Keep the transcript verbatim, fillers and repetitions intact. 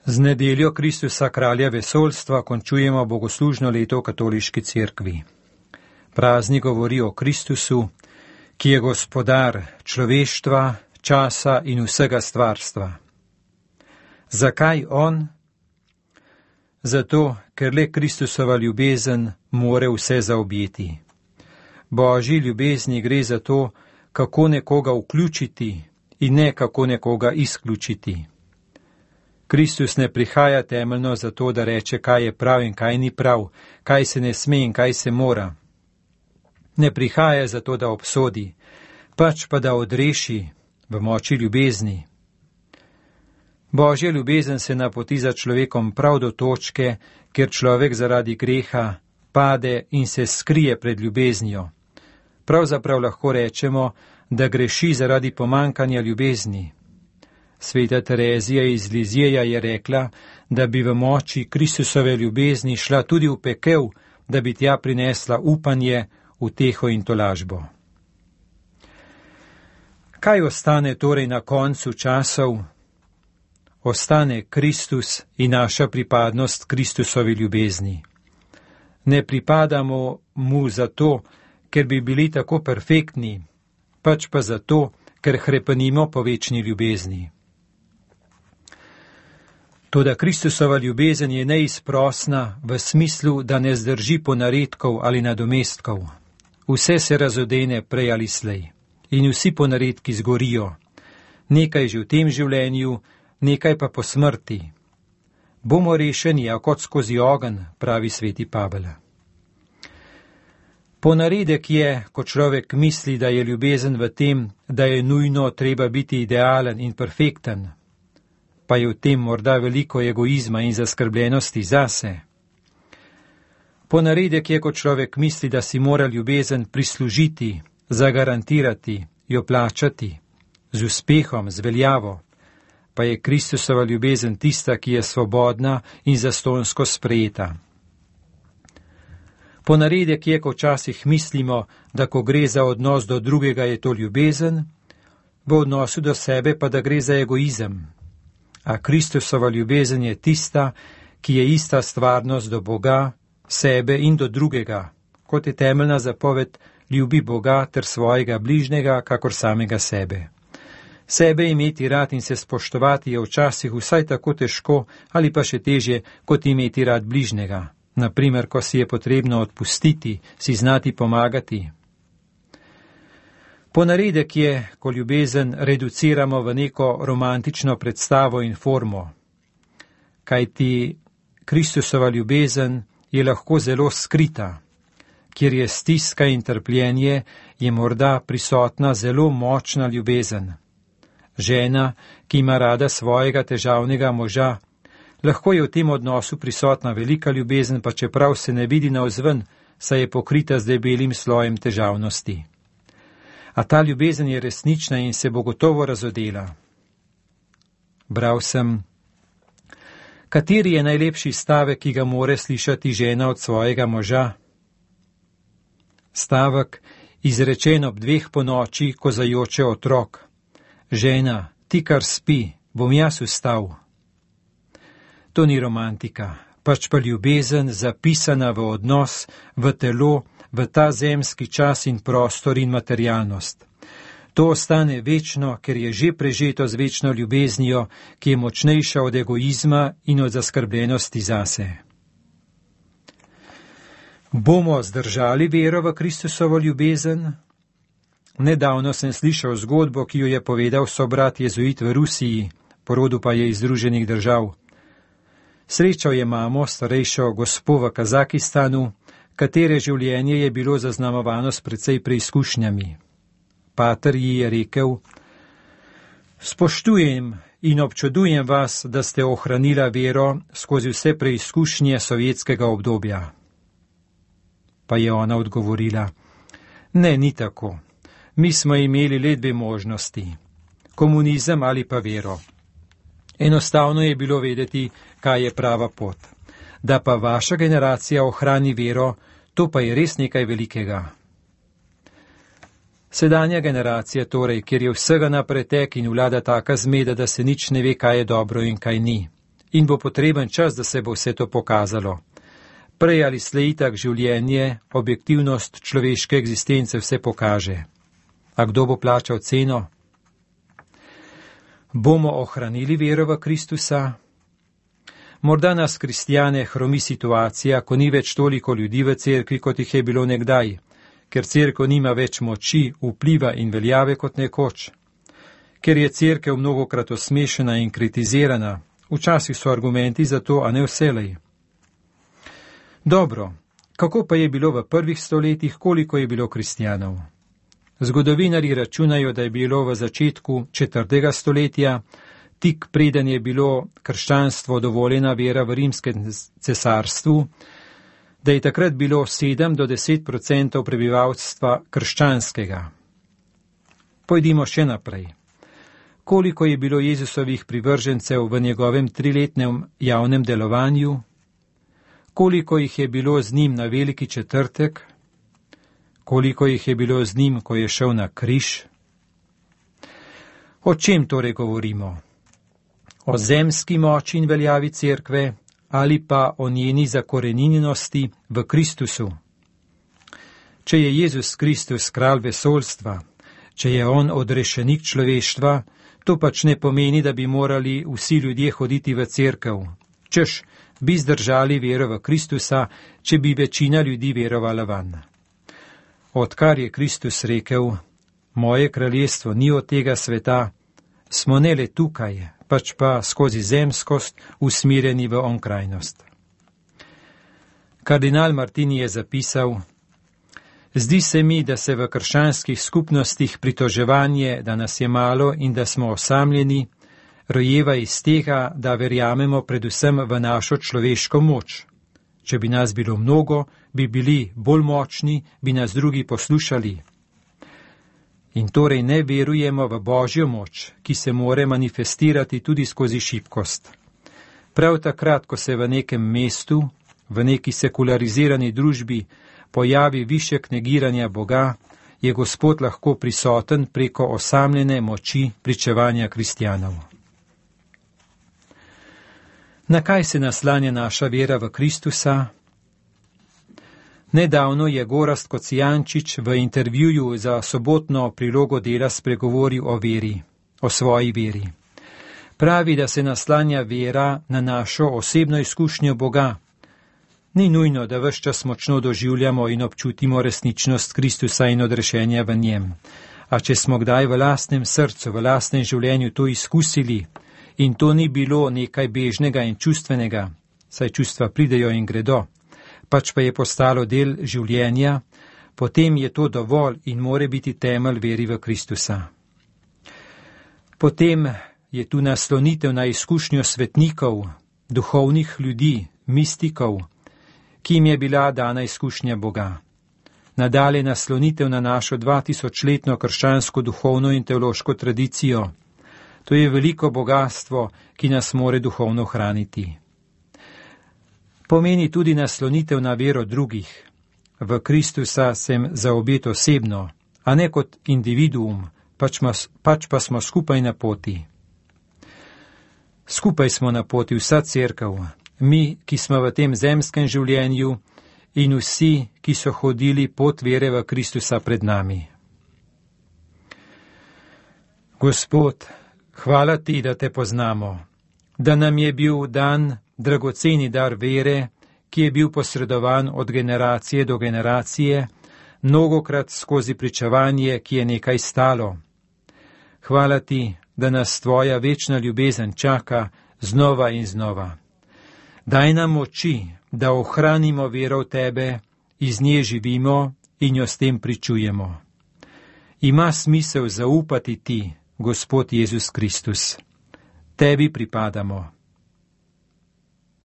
Z nedeljo Kristusa kralja vesoljstva končujemo bogoslužno leto v katoliški cerkvi. Praznik govori o Kristusu, ki je gospodar človeštva, časa in vsega stvarstva. Zakaj on? Zato, ker le Kristusova ljubezen more vse zaobjeti. Božji ljubezni gre za to, kako nekoga vključiti in ne kako nekoga izključiti. Kristus ne prihaja temeljno zato, da reče, kaj je prav in kaj ni prav, kaj se ne sme in kaj se mora. Ne prihaja zato, da obsodi, pač pa da odreši v moči ljubezni. Božja ljubezen se napoti za človekom prav do točke, kjer človek zaradi greha pade in se skrije pred ljubeznijo. Pravzaprav lahko rečemo, da greši zaradi pomankanja ljubezni. Sveta Terezija iz Lizjeja je rekla, da bi v moči Kristusove ljubezni šla tudi v pekel, da bi tja prinesla upanje, uteho in tolažbo. Kaj ostane torej na koncu časov? Ostane Kristus in naša pripadnost Kristusovi ljubezni. Ne pripadamo mu zato, ker bi bili tako perfektni, pač pa zato, ker hrepenimo po večni ljubezni. Toda Kristusova ljubezen je neizprosna v smislu, da ne zdrži ponaredkov ali nadomestkov. Vse se razodene prej ali slej in vsi ponaredki zgorijo. Nekaj že v tem življenju, nekaj pa po smrti. Bomo rešeni, a kot skozi ogenj, pravi sveti Pavel. Ponaredek je, ko človek misli, da je ljubezen v tem, da je nujno treba biti idealen in perfekten, pa je v tem morda veliko egoizma in zaskrbljenosti zase. Ponaredek je, ko človek misli, da si mora ljubezen prislužiti, zagarantirati, jo plačati, z uspehom, z veljavo, pa je Kristusova ljubezen tista, ki je svobodna in zastonjsko sprejeta. Ponaredek je, ko včasih mislimo, da ko gre za odnos do drugega, je to ljubezen, v odnosu do sebe pa da gre za egoizem. A Kristusova ljubezen je tista, ki je ista stvarnost do Boga, sebe in do drugega, kot je temeljna zapoved ljubi Boga ter svojega bližnjega, kakor samega sebe. Sebe imeti rad in se spoštovati je včasih vsaj tako težko ali pa še težje, kot imeti rad bližnjega. Naprimer, ko si je potrebno odpustiti, si znati pomagati. Ponaredek je, ko ljubezen reduciramo v neko romantično predstavo in formo. Kajti Kristusova ljubezen je lahko zelo skrita. Kjer je stiska in trpljenje, je morda prisotna zelo močna ljubezen. Žena, ki ima rada svojega težavnega moža, lahko je v tem odnosu prisotna velika ljubezen, pa čeprav se ne vidi navzven, saj je pokrita z debelim slojem težavnosti. A ta ljubezen je resnična in se bo gotovo razodela. Bral sem, kateri je najlepši stavek, ki ga more slišati žena od svojega moža? Stavek, izrečen ob dveh ponoči, ko zajoče otrok. Žena, ti kar spi, bom jaz vstal. To ni romantika, pač pa ljubezen zapisana v odnos, v telo, v ta zemski čas in prostor in materialnost. To ostane večno, ker je že prežeto z večno ljubeznijo, ki je močnejša od egoizma in od zaskrbljenosti zase. Bomo zdržali vero v Kristusovo ljubezen? Nedavno sem slišal zgodbo, ki jo je povedal sobrat jezuit v Rusiji, porodu pa je iz Združenih držav. Srečal je mamo, starejšo gospo v Kazakistanu, katere življenje je bilo zaznamovano s precej preizkušnjami. Pater ji je rekel, spoštujem in občudujem vas, da ste ohranila vero skozi vse preizkušnje sovjetskega obdobja. Pa je ona odgovorila, ne, ni tako. Mi smo imeli le dve možnosti, komunizem ali pa vero. Enostavno je bilo vedeti, kaj je prava pot. Da pa vaša generacija ohrani vero, to pa je res nekaj velikega. Sedanja generacija torej, kjer je vsega na pretek in vlada taka zmeda, da se nič ne ve, kaj je dobro in kaj ni. in bo potreben čas, da se bo vse to pokazalo. Prej ali slej tak življenje, objektivnost človeške egzistence vse pokaže. A kdo bo plačal ceno? Bomo ohranili vero v Kristusa? Morda nas kristjane hromi situacija, ko ni več toliko ljudi v cerkvi, kot jih je bilo nekdaj, ker cerkev nima več moči, vpliva in veljave kot nekoč. Ker je cerkev mnogokrat osmešena in kritizirana, včasih so argumenti za to, a ne vselej. Dobro, kako pa je bilo v prvih stoletjih, koliko je bilo kristjanov? Zgodovinarji računajo, da je bilo v začetku četrtega stoletja, tik preden je bilo krščanstvo dovoljena vera v rimskem cesarstvu, da je takrat bilo sedem do deset odstotkov prebivalstva krščanskega. Pojdimo še naprej. Koliko je bilo Jezusovih privržencev v njegovem triletnem javnem delovanju? Koliko jih je bilo z njim na Veliki četrtek? Koliko jih je bilo z njim, ko je šel na križ? O čem torej govorimo? O zemski moči in veljavi cerkve ali pa o njeni zakorenjenosti v Kristusu? Če je Jezus Kristus kralj vesoljstva, če je on odrešenik človeštva, to pač ne pomeni, da bi morali vsi ljudje hoditi v cerkev. Češ, bi zdržali vero v Kristusa, če bi večina ljudi verovala vanj. Odkar je Kristus rekel, moje kraljestvo ni od tega sveta, smo ne le tukaj, pač pa skozi zemskost usmirjeni v onkrajnost. Kardinal Martini je zapisal, zdi se mi, da se v krščanskih skupnostih pritoževanje, da nas je malo in da smo osamljeni, rojeva iz tega, da verjamemo predvsem v našo človeško moč. Če bi nas bilo mnogo, bi bili bolj močni, bi nas drugi poslušali. In torej ne verujemo v Božjo moč, ki se more manifestirati tudi skozi šibkost. Prav takrat, ko se v nekem mestu, v neki sekularizirani družbi, pojavi višek negiranja Boga, je Gospod lahko prisoten preko osamljene moči pričevanja kristjanov. Na kaj se naslanja naša vera v Kristusa? Nedavno je Gorazd Kocijančič v intervjuju za sobotno prilogo Dela spregovoril o veri, o svoji veri. Pravi, da se naslanja vera na našo osebno izkušnjo Boga. Ni nujno, da ves čas močno doživljamo in občutimo resničnost Kristusa in odrešenja v njem. A če smo kdaj v lastnem srcu, v lastnem življenju to izkusili, in to ni bilo nekaj bežnega in čustvenega, saj čustva pridejo in gredo, pač pa je postalo del življenja, potem je to dovolj in more biti temelj veri v Kristusa. Potem je tu naslonitev na izkušnjo svetnikov, duhovnih ljudi, mistikov, ki jim je bila dana izkušnja Boga. Nadalje naslonitev na našo dvatisočletno krščansko duhovno in teološko tradicijo. To je veliko bogatstvo, ki nas more duhovno hraniti. Pomeni tudi naslonitev na vero drugih. V Kristusa sem za obet osebno, a ne kot individuum, pač, mas, pač pa smo skupaj na poti. Skupaj smo na poti vsa cerkev, mi, ki smo v tem zemskem življenju in vsi, ki so hodili pot vere v Kristusa pred nami. Gospod, hvala ti, da te poznamo, da nam je bil dan dragoceni dar vere, ki je bil posredovan od generacije do generacije, mnogokrat skozi pričevanje, ki je nekaj stalo. Hvala ti, da nas tvoja večna ljubezen čaka znova in znova. Daj nam moči, da ohranimo vero v tebe, iz nje živimo in jo s tem pričujemo. Ima smisel zaupati ti, Gospod Jezus Kristus. Tebi pripadamo.